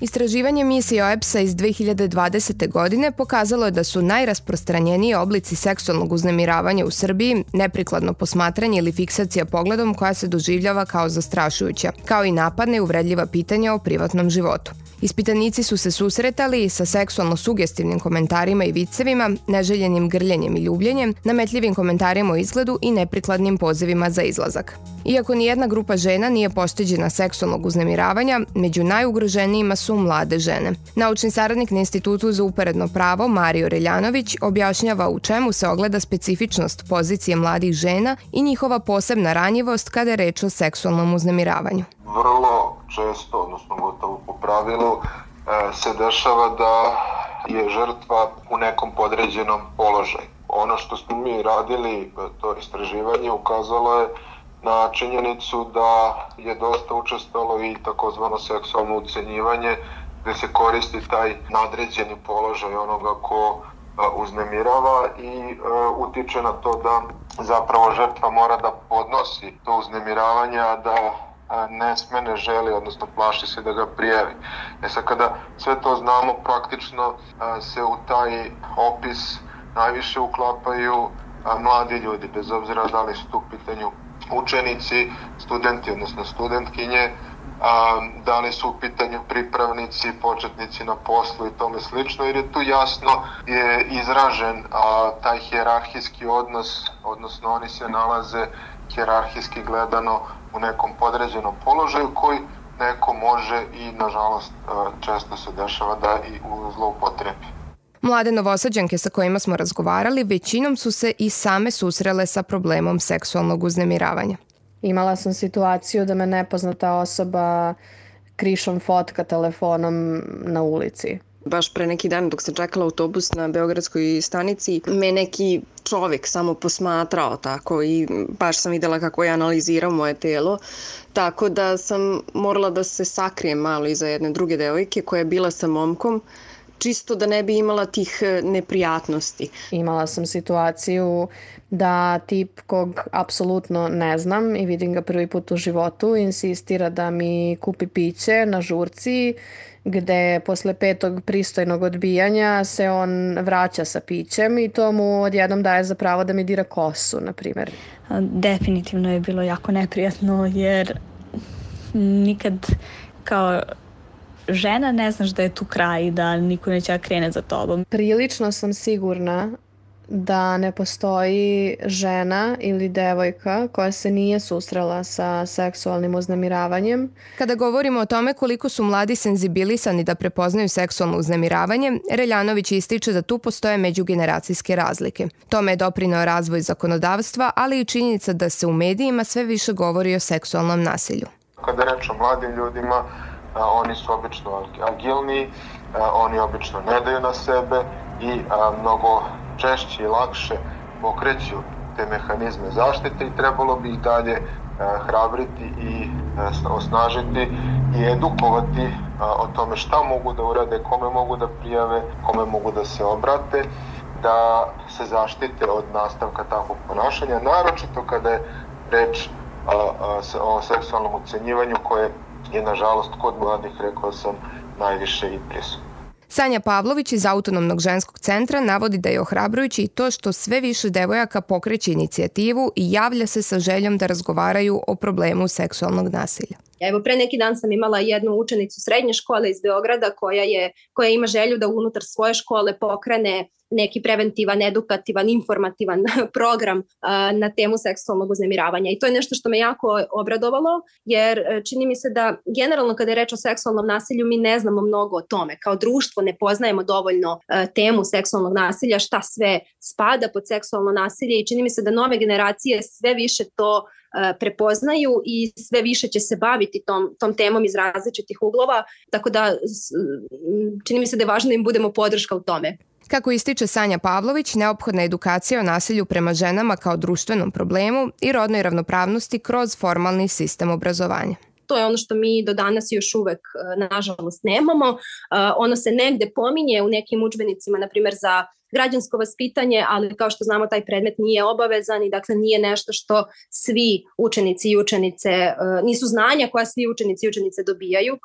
Istraživanje misije OEBS-a iz 2020. godine pokazalo je da su najrasprostranjeniji oblici seksualnog uznemiravanja u Srbiji neprikladno posmatranje ili fiksacija pogledom koja se doživljava kao zastrašujuća, kao i napadne i uvredljiva pitanja o privatnom životu. Ispitanici su se susretali sa seksualno sugestivnim komentarima i vicevima, neželjenim grljenjem i ljubljenjem, nametljivim komentarima o izgledu i neprikladnim pozivima za izlazak. Iako nijedna grupa žena nije pošteđena seksualnog uznemiravanja, među najugroženijima su mlade žene. Naučni saradnik na Institutu za uporedno pravo Mario Reljanović objašnjava u čemu se ogleda specifičnost pozicije mladih žena i njihova posebna ranjivost kada je reč o seksualnom uznemiravanju. Vrlo često, odnosno gotovo po pravilu, se dešava da je žrtva u nekom podređenom položaju. Ono što smo mi radili, to istraživanje, ukazalo je na činjenicu da je dosta učestalo i takozvano seksualno ucenjivanje, gde se koristi taj nadređeni položaj onoga ko uznemirava i utiče na to da zapravo žrtva mora da podnosi to uznemiravanje, a da ne sme, ne želi, odnosno plaši se da ga prijavi. Sad kada sve to znamo, praktično se u taj opis najviše uklapaju mladi ljudi, bez obzira da li su tu u pitanju učenici, studenti, odnosno studentkinje, da li su u pitanju pripravnici, početnici na poslu i tome slično, jer je tu jasno je izražen taj hijerarhijski odnos, odnosno oni se nalaze hijerarhijski gledano u nekom podređenom položaju koji neko može i, nažalost, često se dešava da i zloupotrebi. Mlade Novosađanke sa kojima smo razgovarali većinom su se i same susrele sa problemom seksualnog uznemiravanja. Imala sam situaciju da me nepoznata osoba krišom fotka telefonom na ulici. Baš pre neki dan dok sam čekala autobus na Beogradskoj stanici, me neki čovek samo posmatrao tako i baš sam videla kako je analizirao moje telo, tako da sam morala da se sakrijem malo iza jedne druge devojke koja je bila sa momkom, čisto da ne bi imala tih neprijatnosti. Imala sam situaciju da tip kog apsolutno ne znam i vidim ga prvi put u životu insistira da mi kupi piće na žurci, gde posle 5. pristojnog odbijanja se on vraća sa pićem i to mu odjednom daje za pravo da mi dira kosu, na primjer. Definitivno je bilo jako neprijatno jer nikad kao žena ne znaš da je tu kraj i da niko neće da krene za tobom. Prilično sam sigurna da ne postoji žena ili devojka koja se nije susrela sa seksualnim uznemiravanjem. Kada govorimo o tome koliko su mladi senzibilisani da prepoznaju seksualno uznemiravanje, Reljanović ističe da tu postoje međugeneracijske razlike. Tome je doprineo razvoj zakonodavstva, ali i činjenica da se u medijima sve više govori o seksualnom nasilju. Kada reč o mladim ljudima, oni su obično agilni, oni obično ne daju na sebe i mnogo češće i lakše pokreću te mehanizme zaštite i trebalo bi ih dalje hrabriti i osnažiti i edukovati o tome šta mogu da urade, kome mogu da prijave, kome mogu da se obrate, da se zaštite od nastavka takvog ponašanja, naročito kada je reč o seksualnom ucenjivanju koje je, nažalost, kod mladih, rekao sam, najviše i prisutno. Sanja Pavlović iz Autonomnog ženskog centra navodi da je ohrabrujući i to što sve više devojaka pokreće inicijativu i javlja se sa željom da razgovaraju o problemu seksualnog nasilja. Evo, pre neki dan sam imala jednu učenicu srednje škole iz Beograda koja ima želju da unutar svoje škole pokrene neki preventivan, edukativan, informativan program na temu seksualnog uznemiravanja. I to je nešto što me jako obradovalo, jer čini mi se da generalno kada je reč o seksualnom nasilju mi ne znamo mnogo o tome. Kao društvo ne poznajemo dovoljno temu seksualnog nasilja, šta sve spada pod seksualno nasilje i čini mi se da nove generacije sve više to prepoznaju i sve više će se baviti tom temom iz različitih uglova, tako da čini mi se da je važno da im budemo podrška u tome. Kako ističe Sanja Pavlović, neophodna je edukacija o nasilju prema ženama kao društvenom problemu i rodnoj ravnopravnosti kroz formalni sistem obrazovanja. To je ono što mi do danas još uvek, nažalost, nemamo. Ono se negde pominje u nekim udžbenicima, na primjer za građansko vaspitanje, ali kao što znamo taj predmet nije obavezan i dakle nije nešto što svi učenici i učenice, nisu znanja koja svi učenici i učenice dobijaju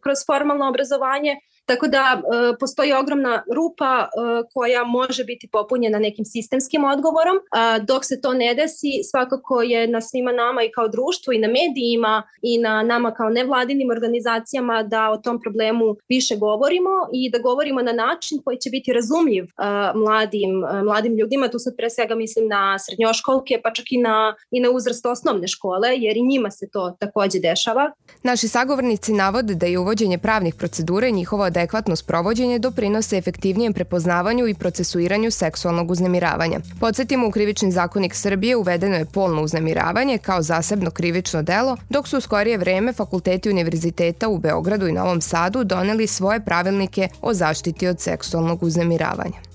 kroz formalno obrazovanje. Tako da postoji ogromna rupa koja može biti popunjena nekim sistemskim odgovorom. Dok se to ne desi, svakako je na svima nama i kao društvu i na medijima i na nama kao nevladinim organizacijama da o tom problemu više govorimo i da govorimo na način koji će biti razumljiv mladim ljudima. Tu sad pre svega mislim na srednjoškolke, pa čak i na uzrast osnovne škole, jer i njima se to takođe dešava. Naši sagovornici navode da je uvođenje pravnih procedura i njihovo adekvatno sprovođenje doprinose efektivnijem prepoznavanju i procesuiranju seksualnog uznemiravanja. Podsjetimo, u Krivični zakonik Srbije uvedeno je polno uznemiravanje kao zasebno krivično delo, dok su u skorije vreme fakulteti univerziteta u Beogradu i Novom Sadu doneli svoje pravilnike o zaštiti od seksualnog uznemiravanja.